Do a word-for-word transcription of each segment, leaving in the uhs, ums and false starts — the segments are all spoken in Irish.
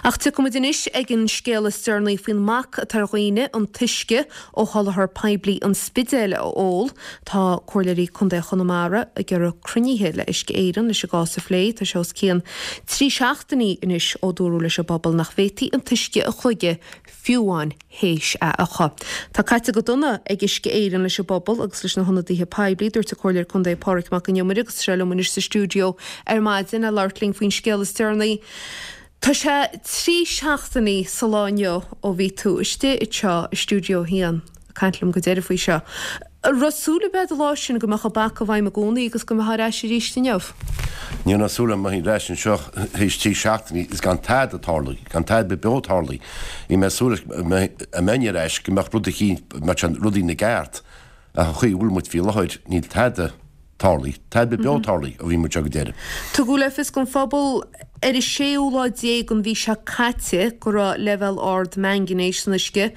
Ach tiocfaimid anois ag an scéal is deireanaí faoin mbac atá ar dhaoine an t-uisce ó sholáthar poiblí an Spidéil a ól. Tá Comhairleoirí Contae Chonamara ag iarraidh cruinnithe le Uisce Éireann leis an gcás a phlé. Tá sé os cionn trí seachtainí anois ó dúradh leis an bpobal nach bhféadfaí an t-uisce a shlogadh fiú amháin théis é a fhiuchadh. Tá caite go dona ag Uisce Éireann leis an bpobal agus leis na hionadaithe poiblí, dúirt an Comhairleoir Contae Pádraig Mac Con Iomaire agus tá sé liom anois sa stiúideo ar maidin le labhairt linn faoin scéal is deireanaí. Tá sé trí seachtainí sa lá inniu ó bhí tú istigh anseo i stiúideo a haon ag caint liom go deireadh faoi seo. An raibh súil ar bith an lá sin go mbeadh an bac i bhfeidhm i gcónaí agus go mbeifeá ar ais arís inniu? Ní raibh súil agam go mbeinn ar ais anseo théis trí seachtainí is gan tada tarlaithe, gan tada beo tarlaithe. Bhí mé ag súil go mbeinn ar ais go mbeadh rud eicínt, mbeadh sé rudaí ina gceart ach an chaoi a bhfuil muid faoi láthair níl tada tarlaithe, tada beo tarlaithe ó bhí muid anseo go deireadh. Tugadh le fios don phobal ar an séú lá déag den mhí seo caite go raibh leibhéal ard mangainéis san uisce.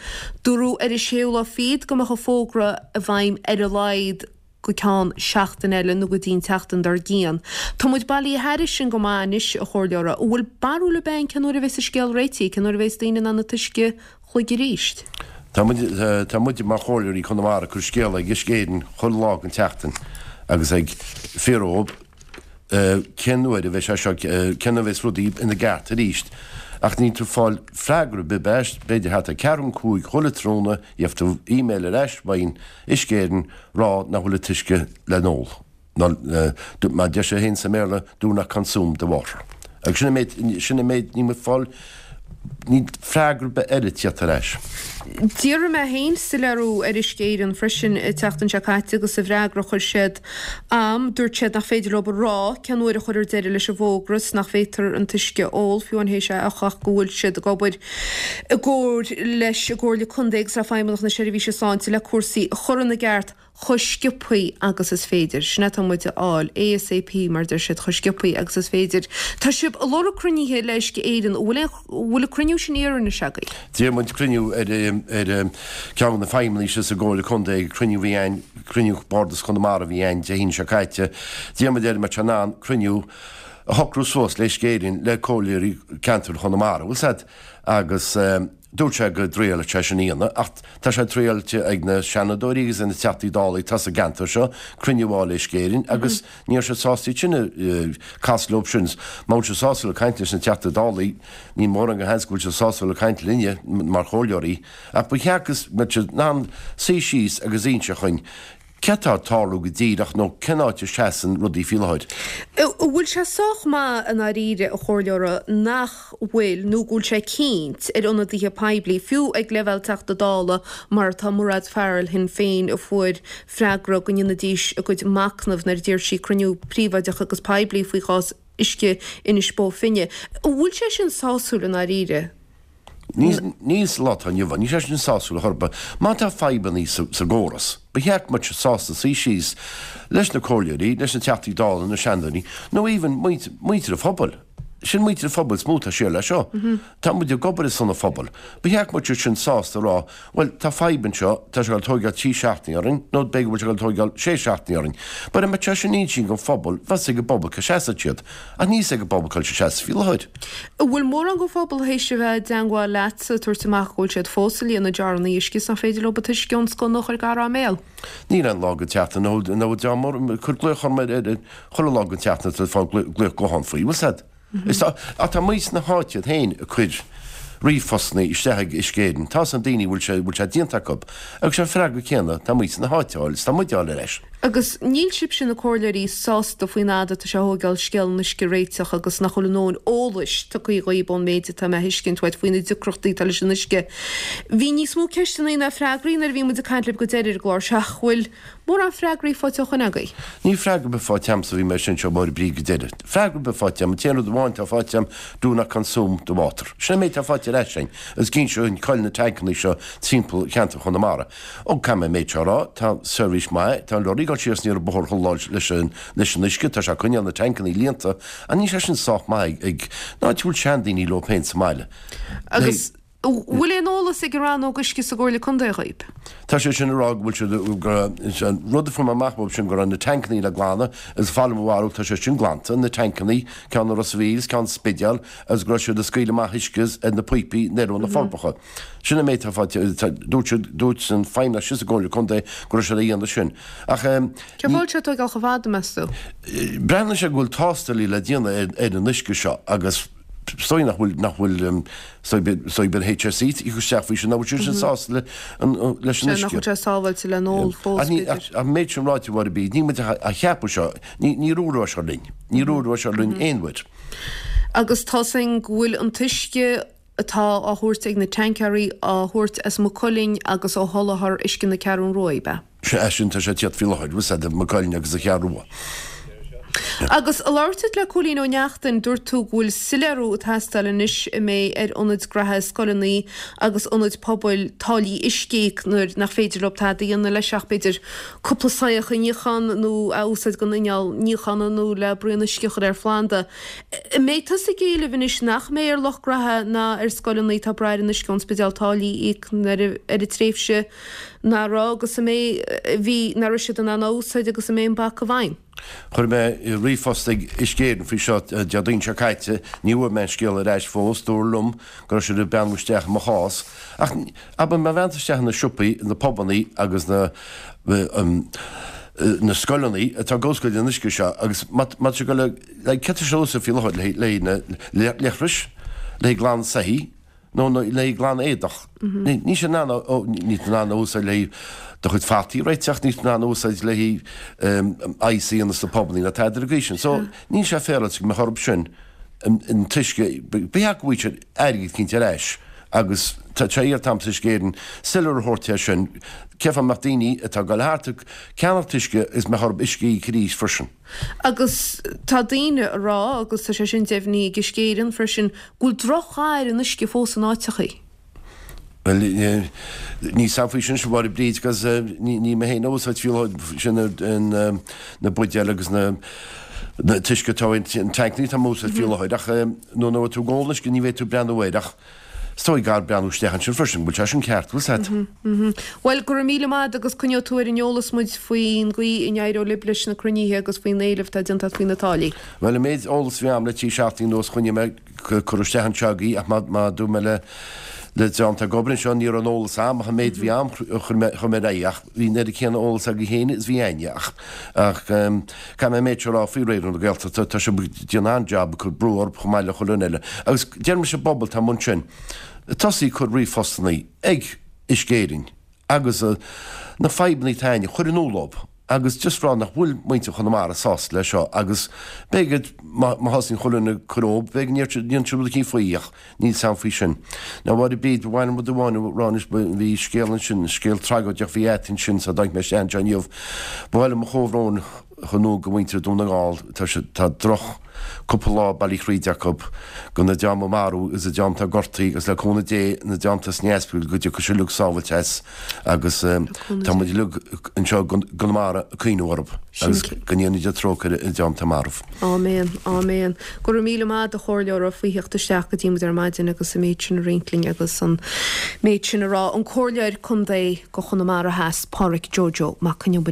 Dúradh ar an séú lá fichead go mbeadh an fógra i bhfeidhm ar a laghad go ceann seachtain eile nó go dtí an tseachtain dár gcionn. Tá muid bailithe thairis sin go maith anois, a Chomhairleora. An bhfuil barúil ar bith againn cén uair a bheas an scéal réitithe, cén uair a bheas daoine in ann an t-uisce a shlogadh arís? Tá muid, tá muid mar Chomhairleoirí Chonamara ag cur scéala ag Uisce Éireann chuile lá den tseachtain agus ag fiafraí dhóibh cén uair a bheidh sé seo, cén uair a bheas rudaí ina gceart arís. Ach níl tú ag fáil freagra ar bith ar ais, b'fhéidir thart ar ceathrú chun cúig chuile tráthnóna gheobhaidh tú email ar ais uaidh Uisce Éireann rá nach bhfuil an t-uisce le n-ól. Nó mar a deir sé féin sa mBéarla, do not consume the water. Agus sin an méid, sin an méid, níl muid ag fáil, níl freagra ar bith eile tíocht ar ais. D'iarr mé féin soiléiriú ar Uisce Éireann freisin an tseachtain seo caite agus sa bhfreagra a chuir siad a'm, dúirt siad nach féidir leo a rá cén uair a chuirfear deireadh leis an bhfógra is nach bhféadfar an t-uisce a ól fiú amháin théis é a fhiuchadh ach go bhfuil siad ag obair i gcomhar leis an gComhairle Contae agus le Feidhmeannacht na Seirbhíse Sláinte le cúrsaí a chur ina gceart chomh sciobthaí agus is féidir. Sin é atá muid a fháil, ASAP mar a deir siad, chomh sciobthaí agus is féidir. Tá sibh ag lorg cruinnithe le Uisce Éireann. An bhfuil aon, an bhfuil an cruinniú sin iarrtha anois agaibh? D'iarr muid cruinniú ar, ar ceann de na feidhmeannaigh sa gComhairle Contae, cruinniú a bhí ann, cruinniú Bhardas Chonamara a bhí ann Dé hAoine seo caite. D'iarr muid air an mbeadh sé in ann cruinniú a shocrú suas le Uisce Éireann, le comhairleoirí ceantair Chonamara, bhfuil 's a'd, agus. Dúirt sé go dtriailfeadh sé sin a dhéanamh ach tá sé triailte ag na Seanadóirí agus ag na Teachtaí Dála atá sa gceantar seo cruinniú a fháil le Uisce Éireann agus ní raibh siad sásta iad sin a casadh leo sin. Má bhfuil siad sásta le caint leis na Teachtaí Dála níl mórán de sheans go bhfuil siad sásta le caint linne mar chomhairleoirí ach ba cheart go mbeadh siad in ann suí síos agus inse dhuinn Céard atá ag tarlú go díreach nó cén áit a seasann rudaí faoi láthair? An bhfuil sé sách maith i ndáiríre, a Chomhairleora, nach bhfuil, nó go bhfuil sé cinnt ar ionadaithe poiblí, fiú ag leibhéal Teachta Dála mar atá Mairéad Farrell Shinn Féin a fuair freagra go ndéanfaidís a gcuid machnaimh nuair a d'iarr sí cruinniú príobháideach agus poiblí faoi chás uisce Inis Bó Finne. An bhfuil sé sin sásúil i ndáiríre? Níl sa lá atá inniu ann. Níl sé sin sásúil ar chor ar bith. Má tá fadhbannaí sa gcóras, ba cheart go mbeadh siad sásta suí síos leis na comhairleoirí, leis na Teachtaí Dála, na Seanadóirí, nó even muintir an phobail. Sin muintir an phobail is mó atá siar leis seo. Tá muid ag obair ar son an phobail. Ba cheart go mbeadh siad sin sásta a rá, bhuel, tá fadhb anseo, tá sé ag dul tóigeáil trí seachtainí orainn, nó b'fhéidir go bhfuil sé ag dul tóigeáil sé seachtainí orainn. But dá mbeadh sé sin inste don phobal, bheadh 's ag an bpobal cá seasfadh siad. Ach níl 's ag an bpobal cá bhfuil siad ag seasamh faoi láthair. An bhfuil mórán den phobal théis a bheith i dteangmháil leatsa ag tabhairt amach go bhfuil siad fós ag líonadh jarranna uisce is nach féidir leo an t-uisce ón sconna a chur gar dá mbéal? Níl aon lá den tseachtain ná bhfuil ag cur glaoch orm ar chuile lá den tseachtain atá ag fáil glaoch gutháin faoi. Bhfuil 's a'd? Is tá, ach tá muintir na háite iad féin ag cur ríomhphostanna isteach ag Uisce Éireann. Tá 's ag daoine bhfuil sé, bhfuil sé déanta acu. Agus sé an freagra céanna, tá muintir na háite á fháil, is tá muid á fháil ar ais. Agus níl sibhse na comhairleoirí sásta faoin fhad atá sé a thóigeáil scéal an uisce a réiteach agus nach bhfuil a ndóthain eolais tugtha dhaoib ón méid atá mé a thuiscint uait faoi na deacrachtaí atá leis an uisce. Bhí níos mó ceisteanna ná freagraí nuair a bhí muid ag caint libh go deireadh ar an gclár seo ach bhfuil mórán freagraí faighte ó shoin agaibh? Níl freagra ar bith faighte a'msa, bhí mé anseo i Máire Bríd go deireadh. Freagra ar bith faighte a'm, an t-aon rud amháin atá faighte a'm, do not consume the water. Sin an méid atá faighte ar ais a'inn agus gíonn seo an coill na tancannaí seo timpeall cheantar Chonamara. Ó, caithfidh mé an méid seo a rá, tá seirbhís maith, tá an lorry ag dul siar is aniar an bóthar chuile lá leis an leis an uisce, tá sé ag coinneáil na tancannaí líonta, ach níl sé sin sách maith ag, ag, ná an áit a bhfuil seandaoine leo féin sa mbaile. Agus Bhfuil aon eolas ag an rannóg uisce sa gComhairle Contae dhaoib? Tá sé sin ag rá go bhfuil siad go an rud a fuair mé amach uaidh sin go raibh na tancannaí le glanadh agus fáil mo bharúil tá sé sin glanta, na tancannaí, ceann i Ros a' Mhíl is ceann sa Spidéal agus go raibh siad ag scaoileadh amach uisce ar na píopaí ar na Forbacha. Sin an méid atá faighte, dúirt siad, dúirt an feidhmeannach sin sa gComhairle Contae go raibh siad a dhéanamh sin. Ach Cén fáth a bhfuil sé ag tógáil chomh fada, meas tú? Breathnaíonn sé go bhfuil tástálaí le déanamh ar an uisce seo agus is dóigh nach bhfuil, nach bhfuil, is dóigh an HSE ag cur isteach faoi sin, nach bhfuil siad sin sásta leis an uisce. Nach bhfuil sé sábháilte le n-ól fós, b'fhéidir. Ach an méid sin ráite, a Mháire Bríd, níl muid a cheapadh seo, níor úr seo linn, níor úr seo linn aon uair. Agus tá 's againn go bhfuil an t-uisce atá á thabhairt ag na tancaeirí á thabhairt as Maigh Cuilinn agus ó sholáthar uisce na Ceathrún Rua, ab ea? Sea, sin, tá sé ag tíocht faoi láthair, bhfuil 's a'd, Maigh Cuilinn agus an Cheathrú Rua. Agus ag labhairt duit le Cóilín Ó Neachtain, dúirt tú go bhfuil soiléiriú ag teastáil anois an mbeidh ar ionaid graithe, scoileanna agus ionaid pobail táillí uisce a íoc nuair nach féidir leo tada a dhéanamh leis ach b'fhéidir cúpla soitheach a níochán nó a úsáid don inneall níocháin nó le braon uisce a chur ar phlanda. An mbeidh tusa ag éileamh anois nach mbeidh ar lucht graithe ná ar scoileanna atá ag brath ar an uisce ón Spidéal táillí a íoc ar an tréimhse nach raibh agus a mbeidh, a bhí, nach raibh siad in ann á úsáid agus a mbeidh an bac i bhfeidhm? Chuir mé ríomhphost ag Uisce Éireann faoi seo Déardaoin seo caite. Ní bhfuair mé an scéal ar ais fós. Dúradh liom go raibh siad ag breathnú isteach i mo chás. Ach abair má bheann tú isteach na siopaí, na pubannaí agus na na scoileanna atá ag úsáid an uisce seo agus má tá sé ag dul le céard atá sé a úsáid faoi láthair le na leithris, le glanadh soithí, nó le glanadh éadach. Níl sé in ann níl tú in ann a úsáid le do chuid fataí a réiteach, níl tú in ann a úsáid le oigheas a dhéanamh sna pubannaí ná tada ar an gcaoi sin. So, níl sé féaráilte go mbeadh orthu sin an t-uisce, ba cheart go bhfaigheadh siad airgead eicínt ar ais agus tá sé iarrta a'msa Uisce Éireann soiléiriú a thabhairt air sin, cén fáth a mbeadh daoine atá ag dul thart ag ceannacht uisce is mbeadh orthu uisce a íoc arís freisin. Agus tá daoine a rá, agus tá sé sin deimhnithe ag Uisce Éireann freisin, go bhfuil droch-dhath ar an uisce fós in áiteachaí. Bhuel, níl 's a'm faoi sin, a Mháire Bríd, agus ní mé féin a úsáid faoi láthair sin na buidéil agus na t-uisce atá in tancannaí atá á úsáid faoi láthair ach nuair atá tú ag ól an uisce ní bheidh tú ag breathnú air ach Is dóigh gur breathnú isteach ansin freisin, go bhfuil sé sin ceart, bhfuil 's a'd. Bhuel, go raibh míle maith agat agus coinneoidh tú ar an eolas muid faoin gcaoi a n-éireoidh libh leis na cruinnithe agus faoin éileamh atá déanta agat faoi na táillí. Bhuel, an méid eolas a bhí a'm le trí seachtainí anuas choinnigh mé ag cur isteach anseo agaibh ach má dúirt mé le le dream atá ag obair anseo ní raibh an eolas a'm ach an méid a bhí a'm chuir mé chuir mé ar aghaidh ach bhí an oiread céanna eolas agaibh féin is bhí a'inne ach ach caithfidh mé an méid seo a rá faoi Raidió na Gaeltachta tá sibh ag déanamh an-jab ag cur brú orthu chomh maith le chuile dhuine eile agus deirim leis an bpobal atá amuigh ansin tosaí ag cur ríomhphostannaí ag Uisce Éireann agus na fadhbanna atá a'inn a chur in iúl dóibh agus just rá nach bhfuil muintir Chonamara sásta leis seo agus b'fhéidir má thosaíonn chuile dhuine ag cur dhób b'fhéidir go ndéanfaidh siad rud eicínt faoi ach níl 's a'm faoi sin. Now a Mháire Bríd, ba mhaith liom rud amháin a rá anois, bhí scéal ansin, scéal tragóideach a bhí a'd ansin sula dtáinig mé isteach anseo inniu. Ba mhaith liom mo chomhbhrón a chur in iúl go mhuintir Dún na nGall, tá siad, tá droch cúpla lá bailithe thríd acu, go na dream a marbhadh agus an dream atá gortaithe agus le cúnamh Dé na dream atá sna hospidéil go dtiocfaidh siad uilig sábhailte as agus tá muid uilig anseo i gConamara ag cuimhneamh orthu agus go ndéana Dia trócaire ar an dream atá marbh. Áiméan, áiméan. Go raibh míle maith agat a chomhairleora faoi theacht isteach go dtí muid ar maidin agus an méid sin a roinnt linn agus an méid sin a rá. An Comhairleoir Contae go Chonamara Theas, Pádhraic Joe Joe Mac Con Iomaire.